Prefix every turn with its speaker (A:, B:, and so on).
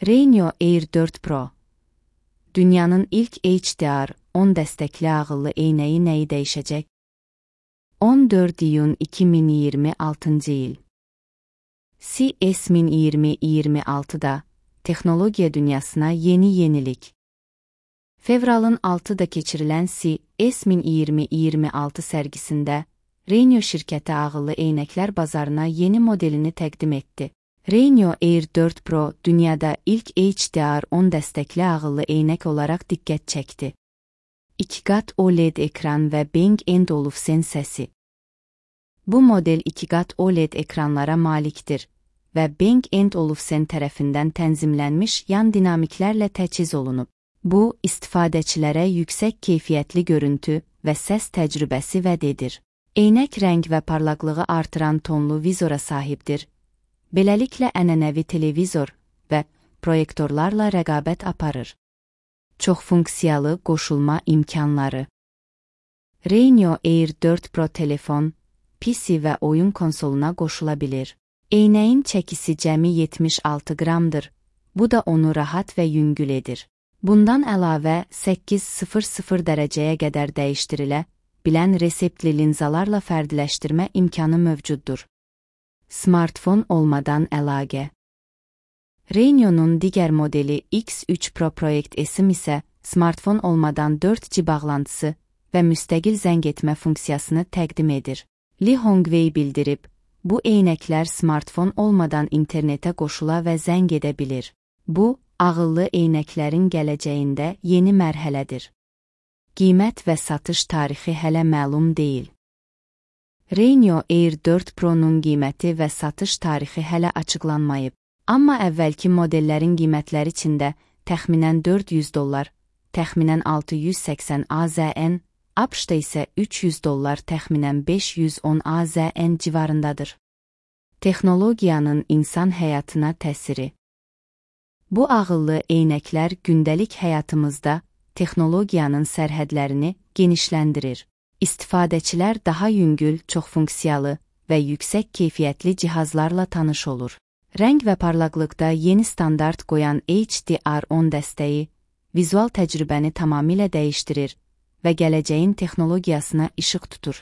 A: Renio Air 4 Pro. Dünyanın ilk HDR10 dəstəkli ağıllı eynəyi nəyi dəyişəcək? 14 iyun 2026 il. CES 2026'da texnologiya dünyasına yeni yenilik. Fevralın 6'da keçirilən CES 2026 sərgisində Renio şirkəti ağıllı eynəklər bazarına yeni modelini təqdim etdi. Renio Air 4 Pro dünyada ilk HDR10 dəstəkli ağıllı eynək olaraq diqqət çəkdi. 2 qat OLED ekran və Bang & Olufsen səsi. Bu model 2 qat OLED ekranlara malikdir və Bang & Olufsen tərəfindən tənzimlənmiş yan dinamiklərlə təchiz olunub. Bu, istifadəçilərə yüksək keyfiyyətli görüntü və səs təcrübəsi vəd edir. Eynək rəng və parlaqlığı artıran tonlu vizora sahibdir. Beləliklə ənənəvi televizor və proyektorlarla rəqabət aparır. Çoxfunksiyalı qoşulma imkanları. Renio Air 4 Pro telefon, PC və oyun konsoluna qoşula bilir. Eynəyin çəkisi cəmi 76 qramdır. Bu da onu rahat və yüngül edir. Bundan əlavə 800 dərəcəyə qədər dəyişdirilə bilən reseptli linzalarla fərdiləşdirmə imkanı mövcuddur. Smartfon olmadan əlaqə. Renio'nun digər modeli X3 Pro Project S isə smartfon olmadan 4G bağlantısı və müstəqil zəng etmə funksiyasını təqdim edir. Li Hongwei bildirib, bu eynəklər smartfon olmadan internetə qoşula və zəng edə bilir. Bu, ağıllı eynəklərin gələcəyində yeni mərhələdir. Qiymət və satış tarixi hələ məlum deyil. Renio Air 4 Pro'nun qiyməti və satış tarixi hələ açıqlanmayıb. Amma əvvəlki modellərin qiymətləri içində təxminən $400, təxminən $680 AZN, ABŞ-da isə $300, təxminən $510 AZN civarındadır. Texnologiyanın insan həyatına təsiri. Bu ağıllı eynəklər gündəlik həyatımızda texnologiyanın sərhədlərini genişləndirir. İstifadəçilər daha yüngül, çoxfunksiyalı və yüksək keyfiyyətli cihazlarla tanış olur. Rəng və parlaqlıqda yeni standart qoyan HDR10 dəstəyi vizual təcrübəni tamamilə dəyişdirir və gələcəyin texnologiyasına işıq tutur.